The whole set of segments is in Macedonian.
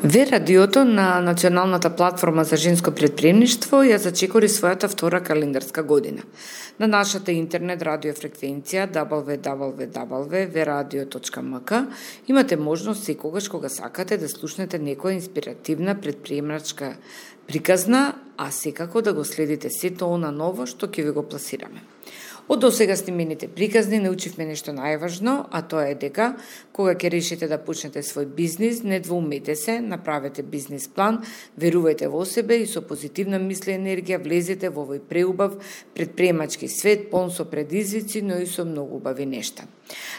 Ве радиото на Националната платформа за женско претприемништво ја зачекори својата втора календарска година. На нашата интернет радио фреквенција www.veradio.mk имате можност секогаш кога сакате да слушнете некоја инспиративна претприемачка приказна, а секако да го следите сето она ново што ќе ви го пласираме. Од досега снимените приказни научивме нешто најважно, а тоа е дека кога ќе решите да почнете свој бизнис, не двоумете се, направете бизнис план, верувајте во себе и со позитивна мисла и енергија влезете во овој преубав претприемачки свет, полн со предизвици, но и со многу убави нешта.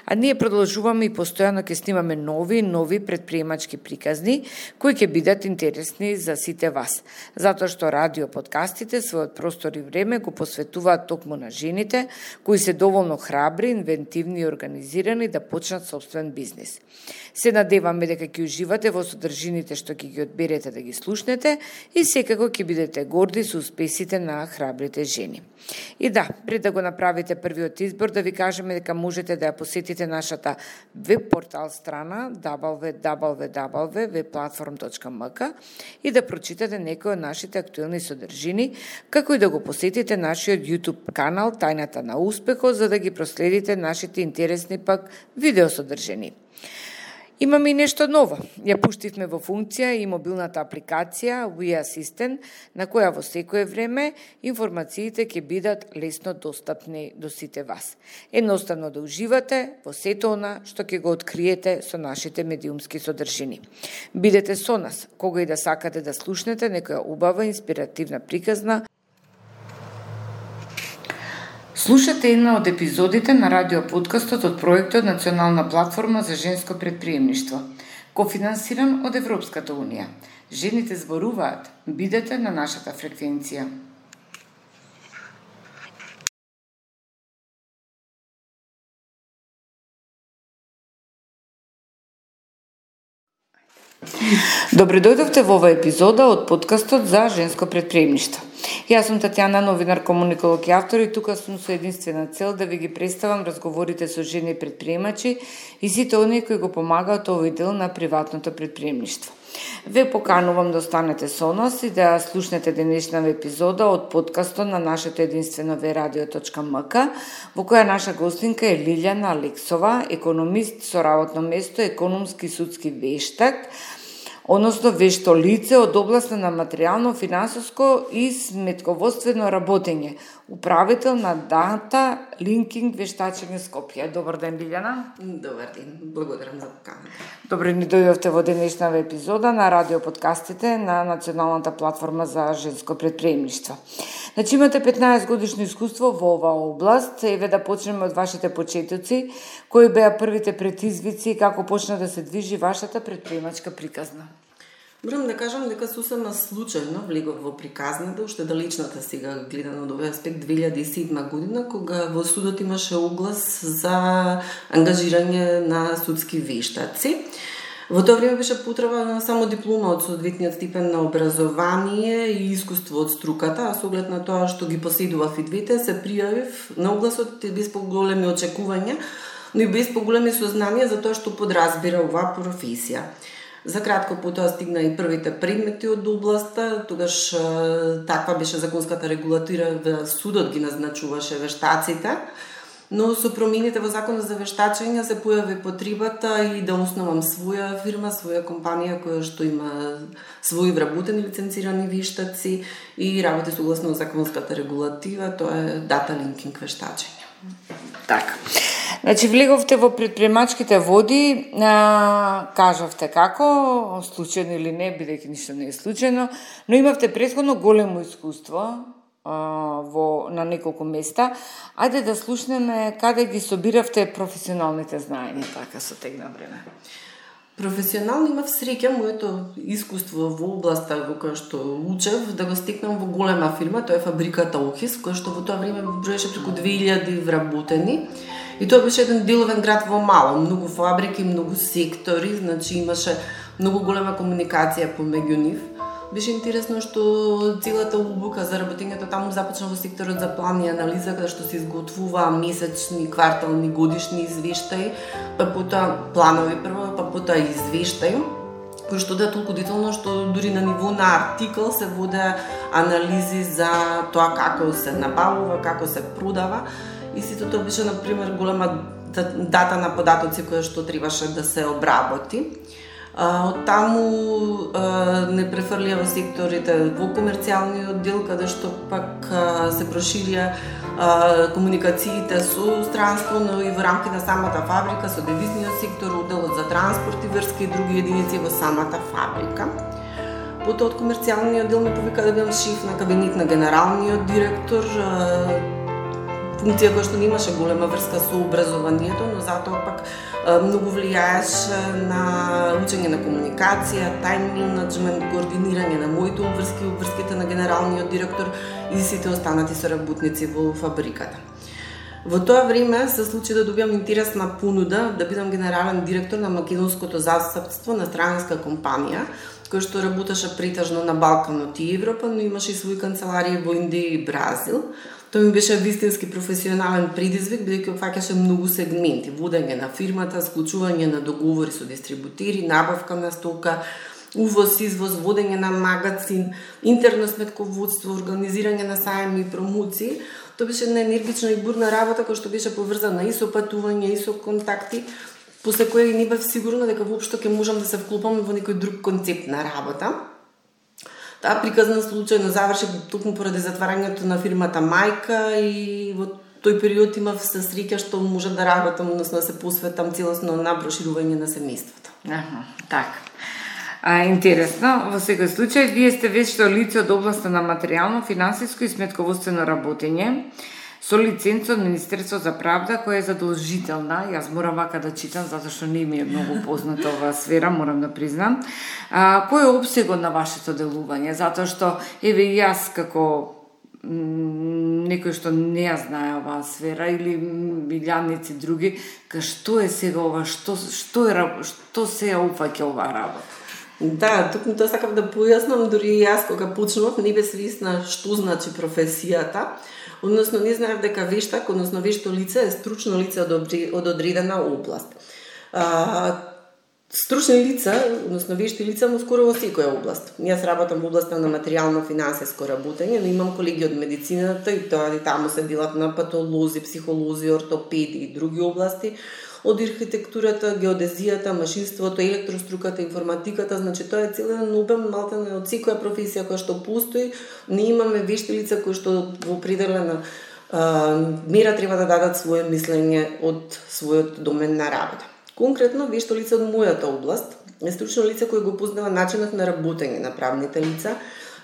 А ние продолжуваме и постојано ќе снимаме нови претприемачки приказни кои ќе бидат интересни за сите вас, затоа што радио подкастите својот простор и време го посветуваат токму на жените кои се доволно храбри, инвентивни и организирани да почнат собствен бизнис. Се надеваме дека ќе уживате во содржините што ќе ги одберете да ги слушнете и секако ќе бидете горди со успесите на храбрите жени. И да, пред да го направите првиот избор, да ви кажеме дека можете да ја посетите нашата веб портал страна www.webplatform.mk и да прочитате некои од нашите актуелни содржини, како и да го посетите нашиот YouTube канал Тајната на успехот, за да ги проследите нашите интересни пак видеосодржини. Имаме и нешто ново. Ја пуштивме во функција и мобилната апликација We Assistant, на која во секое време информациите ќе бидат лесно достапни до сите вас. Едноставно да уживате во сето она што ќе го откриете со нашите медиумски содржини. Бидете со нас, кога и да сакате да слушнете некоја убава инспиративна приказна. Слушате една од епизодите на радиоподкастот од проектот Национална платформа за женско претприемништво, кофинансиран од Европската унија. Жените зборуваат, бидете на нашата фреквенција. Добре дојдовте во оваа епизода од подкастот за женско претприемништво. Јас сум Татјана, новинар, комуниколог и автор, и тука сум со единствена цел да ви ги представам разговорите со жени предприемачи и сите оние кои го помагаат овој дел на приватното предприемништво. Ве поканувам да останете со нас и да слушнете денешната епизода од подкастот на нашето единствено veradio.mk, во која наша гостинка е Лилјана Алексова, економист со работно место економски судски вештак, односно вешто лице од областа на материјално, финансиско и сметководствено работење, управител на Data Linking вештачење Скопје. Добар ден, Лилјана. Добар ден, благодарам за поканата. Добре ни дојдовте во денешната епизода на радиоподкастите на Националната платформа за женско претприемништво. Значи имате 15 годишно искуство во оваа област. Еве да почнеме од вашите почетоци. Кои беа првите предизвици и како почна да се движи вашата претприемачка приказна? Морам да кажам дека сосема случајно влегов во приказната, уште далечната сега гледано од овој аспект 2007 година, кога во судот имаше оглас за ангажирање на судски вештаци. Во тоа време беше потреба на само диплома од соодветниот степен на образование и искуство од струката, а со оглед на тоа што ги поседував и двете, се пријавив на огласот без поголеми очекувања, но и без поголеми сознанија за тоа што подразбира оваа професија. За кратко потоа стигна и првите предмети од областа, тогаш таква беше законската регулатива, судот ги назначуваше вештаците, но со промените во законот за вештачење се појави потребата и да основам своја фирма, своја компанија која што има своји вработени лиценцирани вештаци и работи согласно законската регулатива, тоа е Data Linking вештачење. Така. Значи, влеговте во предприемачките води, кажавте како, случајно или не, бидејќи ништо не е случајно, но имавте претходно големо искуство на неколку места. Ајде да слушнеме каде ги собиравте професионалните знаења, така со тек на време. Професионално имав среќа моето искуство во областа во која што учев да го стекнам во голема фирма, тоа е фабриката Охис, која што во тоа време броеше преку 2000 вработени. И тоа беше еден деловен град во мало, многу фабрики, многу сектори, значи имаше многу голема комуникација помеѓу нив. Беше интересно што целата обука за работењето таму започна во секторот за план и анализа, каде што се изготвуваа месечни, квартални, годишни извештаи, па потоа планови прво, па потоа извештаи. кои што да толку детално што дури на ниво на артикл се воде анализи за тоа како се набавува, како се продава и сите тоа беше на пример голема дата на податоци која што требаше да се обработи. Од таму не префрлија во секторите во комерцијалниот дел, каде што пак се проширија комуникациите со странство, но и во рамки на самата фабрика, со девизниот сектор, одделот за транспорт и врски и други единици во самата фабрика. Потоа од комерцијалниот дел ме повика да бидам шеф на кабинет на генералниот директор, функција која што немаше голема врска со образованието, но затоа пак многу влијаеше на учење на комуникација, тајм менеджмент, координирање на моите обврски, обврските на генералниот директор и сите останати соработници во фабриката. Во тоа време се случи да добиам интересна понуда да бидам генерален директор на македонското застапство на странска компанија, која што работеше претежно на Балканот и Европа, но имаше и своји канцеларии во Индија и Бразил. Тоа ми беше вистински професионален предизвик, бидејќи опфаќаше многу сегменти: водење на фирмата, склучување на договори со дистрибутери, набавка на стока, увоз, извоз, водење на магазин, интерно сметководство, организирање на сајми и промоции. Тоа беше една енергична и бурна работа која што беше поврзана и со патување, и со контакти, после која не бев сигурна дека воопшто ќе можам да се вклопам во некој друг концепт на работа. Таа приказна случајно заврши токму поради затварањето на фирмата мајка и во тој период имав се среќа што може да работам, односно да се посветам целосно на проширување на семејството. Така. Интересно, во секој случај, вие сте вешто лице од областа на материјално, финансиско и сметководствено работење, со лиценца од Министерство за правда, која е задолжителна. Јас морам вака да читам, затоа што не ми е многу позната оваа сфера, морам да признам. Кој е опсегот на вашето делување? Затоа што, еве и јас како некој што не ја знае оваа сфера или милјаници други, што е сега ова, што се ја упфаќа оваа работа? Да, токму тоа сакав да појаснам, дури и јас кога почнував не бе свесна што значи професијата. Односно, не знаев дека вештак, односно вешто лице е стручно лице од одредена област. Стручни лица, односно вешти лица, но скоро во секоја област. Јас работам во областа на материјално-финансиско работење, но имам колеги од медицината и тоа и таму се делат на патолози, психолози, ортопеди и други области, од архитектурата, геодезијата, машинството, електроструката, информатиката, значи тоа е целен обем малтене од секоја професија која што постои. Не имаме вешти лица кои што во определена мера треба да дадат свое мислење од својот домен на работа. Конкретно, вешто лице од мојата област е стручно лице кој го познава начинот на работење на правните лица,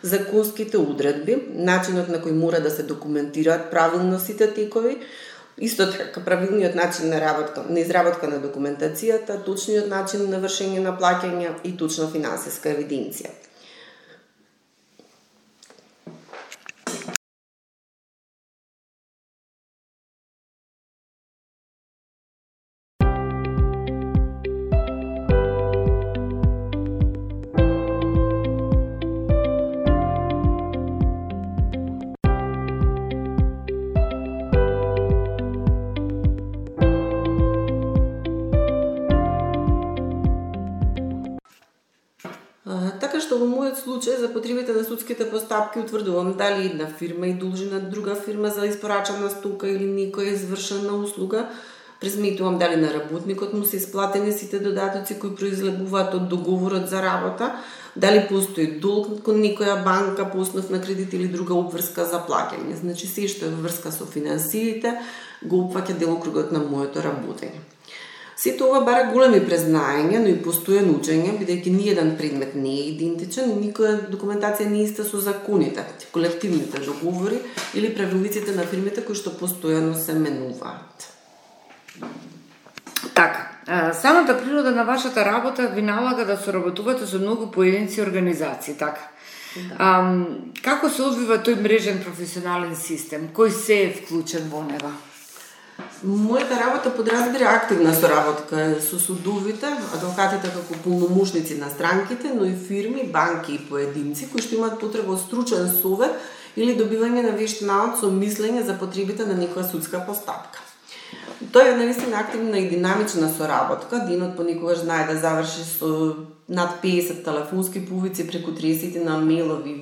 законските одредби, начинот на кој мора да се документираат правилно сите текови, исто така правилниот начин на изработка на документацијата, точниот начин на вршење на плаќања и точна финансиска евиденција. Така што во мојот случај за потребите на судските постапки утврдувам дали една фирма и должи на друга фирма за испорачана стока или некоја извршена услуга, презметувам дали на работникот му се исплатени сите додатоци кои произлегуваат од договорот за работа, дали постои долг кон некоја банка по основ на кредит или друга обврска за плаќање. Значи се што е врска со финансиите го опфаќа делокругот на моето работење. Сето ова бара големи признаења, но и постојано учење, бидејќи ниеден предмет не е идентичен и никоја документација не е иста со законите, колективните договори или правилниците на фирмите кои што постојано се менуваат. Така, самата природа на вашата работа ви налага да соработувате со многу поединци и организации, така? Да. Како се одвива тој мрежен професионален систем? Кој се е вклучен во него? Мојата работа подразбира активна соработка со судовите, адвокатите како полномошници на странките, но и фирми, банки и поединци кои што имаат потреба од стручен совет или добивање на вешт наод со мислење за потребите на некоја судска постапка. Тоа е наистина активна и динамична соработка. Денот понекогаш знае да заврши со над 50 телефонски повици, преку 30 на мейлови,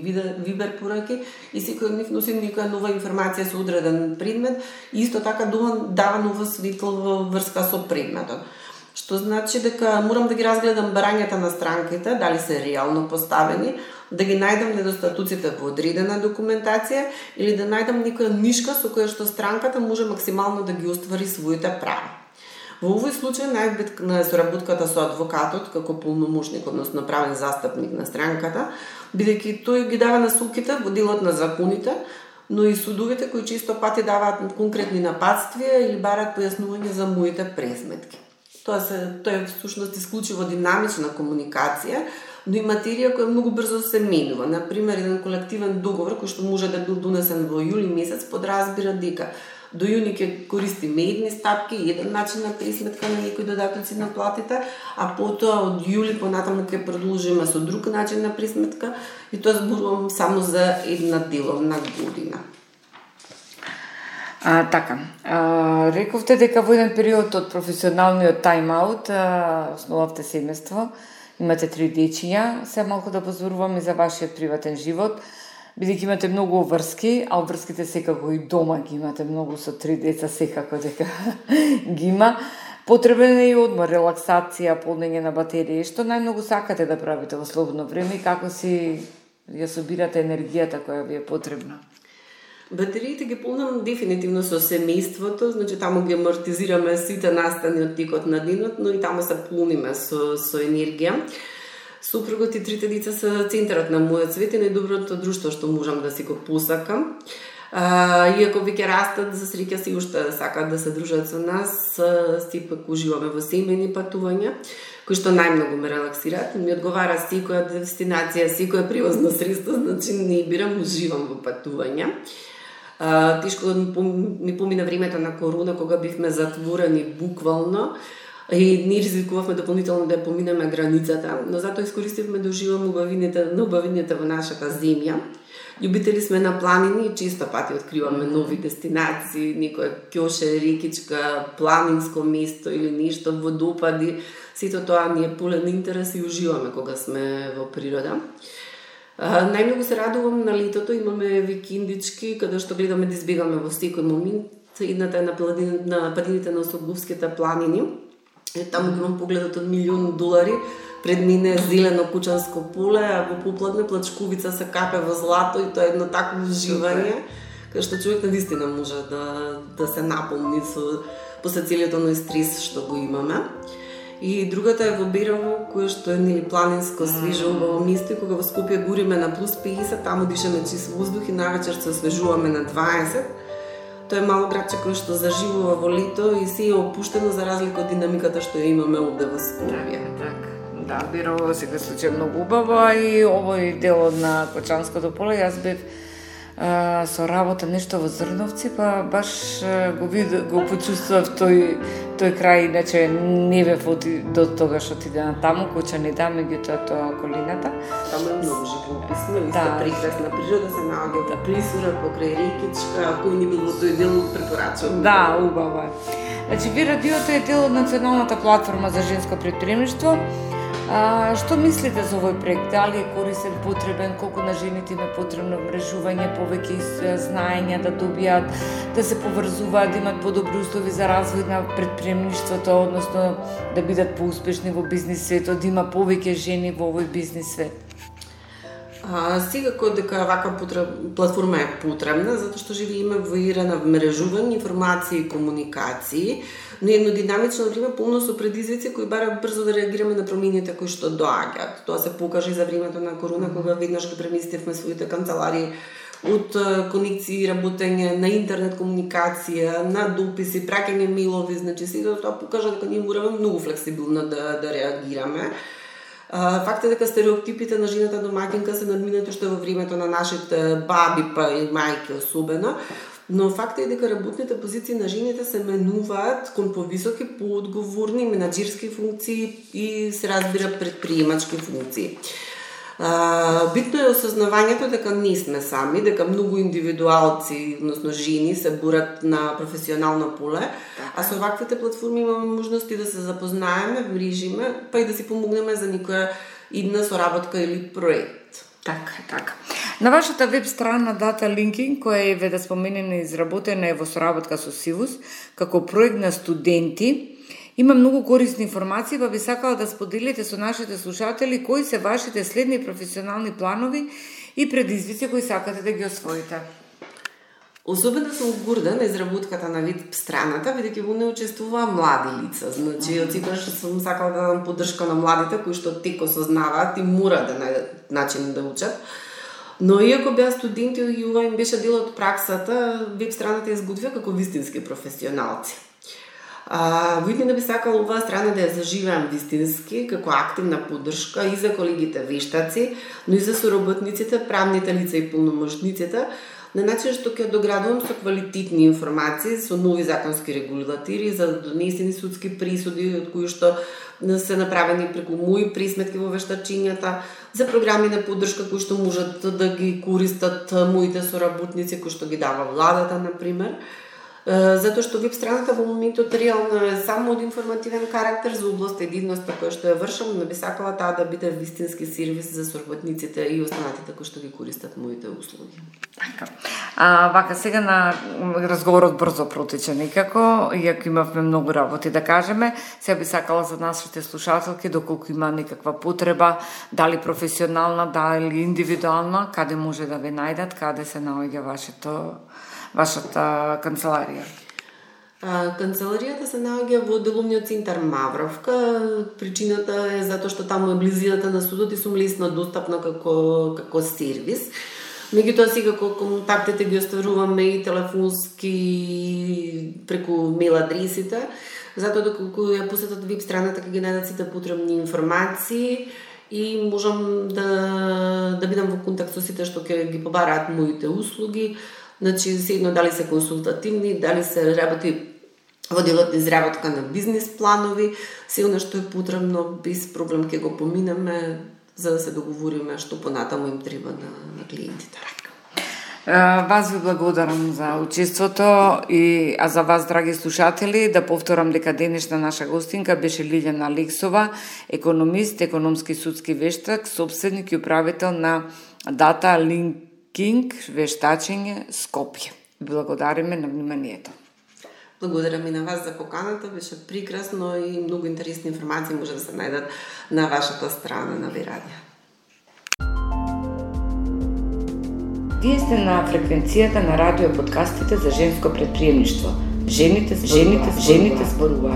вибер пораки и секој од нив носи некоја нова информација со одреден предмет и исто така дава нова светло во врска со предметот. Што значи дека морам да ги разгледам барањата на странките, дали се реално поставени, да ги најдам недостатоците во одредена документација или да најдам некоја нишка со која што странката може максимално да ги оствари своите права. Во овој случај најбитна е соработката со адвокатот како полномошник, односно правен застапник на странката, бидејќи тој ги дава насоките во делот на законите, но и судовите кои често пати даваат конкретни напатствија или бараат појаснување за моите презметки. Тоа е всушност исклучиво динамична комуникација, но и материја која многу брзо се менува. Например, еден колективен договор кој што може да бил донесен во јули месец подразбира дека до јуни ќе користиме едни стапки, еден начин на пресметка на некои додатоци на платите, а потоа од јули понатаму ќе продолжиме со друг начин на пресметка и тоа зборувам само за една деловна година. Така, рековте дека во еден период од професионалниот тайм-аут основавте семејство, имате 3 дечиња, се малку да позборуваме за вашиот приватен живот, бидејќи имате многу врски, а врските секако и дома ги имате многу со 3 деца, секако дека ги има. Потребен е и одмор, релаксација, полнење на батерии. Што најмногу сакате да правите во слободно време и како си ја собирате енергијата која ви е потребна? Батериите ги полнам дефинитивно со семејството, значи таму ги амортизираме сите настани од текот на денот, но и таму се полниме со енергија. Супругот и 3 деца се центарот на мојот свет и најдоброто друштво што можам да си го посакам. Иако веќе растат, за среќа си уште сакаат да се дружат со нас, сепак уживаме во семејни патувања, кои што најмногу ме релаксираат. Ми одговара секоја дестинација, секоја превозно средство, значи не бирам, уживам во патувања. Тешко ми помина времето на корона, кога бивме затворени буквално и не ризикувавме дополнително да поминеме границата, но затоа искористивме да уживаме убавините во нашата земја. Љубители сме на планини и често пати откриваме нови дестинации, некоја ќоше, рекичка, планинско место или нешто, водопади. Сето тоа ни е полен интерес и уживаме кога сме во природа. Најмногу се радувам на летото, имаме викендички каде што гледаме да избегаме во секој момент. Едната е на падините на Соглувските планини. Таму имам погледот од $1.000.000, пред мене е зелено кучанско поле, а во попладне плачковица се капе во злато и тоа е едно такво уживање, каде што човек наистина може да се наполни после целиот оној стрес што го имаме. И другата е во Берово, кое што е планинско, свежо, убаво место, кога во Скопје гориме на плюс 50, таму дишаме чист воздух и навечер се освежуваме на 20. Тоа е мало градче кое што заживува во лето и се е опуштено за разлика од динамиката што ја имаме овде во Скопје. Така. Да, Берово во секој случај многу убаво и овој дел на Кочанското поле јас бев со работа нешто во Зрновци, па баш го почувствував тој крај, иначе не бев до тога што отиде на таму, Кочани да, меѓутоа тоа околината. Таму е многу живописно, исто прекрасна природа, се наоѓа да присура покрај рекичка, ако и не бил во тој дел, препорачувам. Да, убаво е. Значи, ви радиото е дел од Националната платформа за женско предприемништво. Што мислите за овој проект? Дали е корисен, потребен, колку на жените им е потребно мрежување, повеќе знаења да добијат, да се поврзуваат, да имат подобри услови за развој на предприемништвото, односно да бидат поуспешни во бизнис светот, да има повеќе жени во овој бизнис свет? Секако дека ваква платформа е потребна, затоа што живееме во ера на мрежување, информации и комуникации, но едно динамично време полно со предизвици кои бараат брзо да реагираме на промените кои што доаѓаат. Тоа се покажа и за времето на корона, кога веднаш го преместивме своите канцеларии од конекции, работење на интернет комуникација, на дописи, праќање мејлови, значи сето тоа покажа дека ние мораме многу флексибилно да реагираме. Факт е дека стереотипите на жената домаќинка се надминати уште во времето на нашите баби па и мајки особено, но факт е дека работните позиции на жените се менуваат кон повисоки, поодговорни менаџерски функции и се разбира предприемачки функции. Битно е осознавањето дека не сме сами, дека многу индивидуалци, односно жени, се бурат на професионално поле, а со ваквите платформи имаме можности да се запознаеме, врижиме, па и да си помогнеме за никоја идна соработка или проект. Така. На вашата веб страна Data Linking, која е да споменена изработена е во соработка со Сивус, како проект на студенти, има многу корисни информации, па би сакала да споделите со нашите слушатели кои се вашите следни професионални планови и предизвици кои сакате да ги освоите. Особено сум горда на изработката на веб страната, бидејќи во неја учествуваа млади лица. Значи, од секогаш сум сакала да дадам поддршка на младите кои што тек осознаваат и мора да најдат начин да учат. Но иако беа студенти и ова им беше дел од праксата, веб страната изготвија како вистински професионалци. Видно да би сакала оваа страна да ја заживеам вистински, како активна поддршка и за колегите вештаци, но и за соработниците, правните лица и полномошниците, на начин што ќе доградувам со квалитетни информации, со нови законски регулативи за донесени судски присуди, од кои што се направени преку мои присметки во вештачињата, за програми на поддршка кои што можат да ги користат моите соработници, кои што ги дава владата, например. Затоа што веб страната во моментот реално е само од информативен карактер за област единноста која што ја вршам, но би сакала таа да биде вистински сервис за соработниците и останатите кои што ги користат моите услуги. Така. Вака сега на разговорот брзо протече некако, иако имавме многу работи да кажеме, сега би сакала за нашите слушателки доколку има некаква потреба, дали професионална, дали индивидуална, каде може да ве најдат, каде се наоѓа вашата канцеларија? Канцеларијата се наоѓа во деловниот центар Мавровка. Причината е затоа што таму е близината на судот и сум лесно достапна како сервис. Меѓутоа сега контактите ги остваруваме и телефонски преку мейл адресите, затоа доколку ја посетат веб страната ќе ги најдат сите потребни информации и можам да бидам во контакт со сите што ќе ги побараат моите услуги. Значи, седно дали се консултативни, дали се работи во делот на изработка на бизнис планови, се она што е потребно, без проблем ќе го поминеме, за да се договориме што понатаму им треба на клиентите. Вас ви благодарам за учеството а за вас, драги слушатели, да повторам дека денешна наша гостинка беше Лилјана Алексова, економист, економски судски вештак, собственик и управител на Data Linking вештачење Скопје. Благодариме на вниманието. Благодарам и на вас за поканата, беше прекрасно и многу интересни информации може да се најдат на вашата страна на Бирадија. Вие сте на фреквенцијата на радио подкастите за женско предприемништво. Жените зборуваат.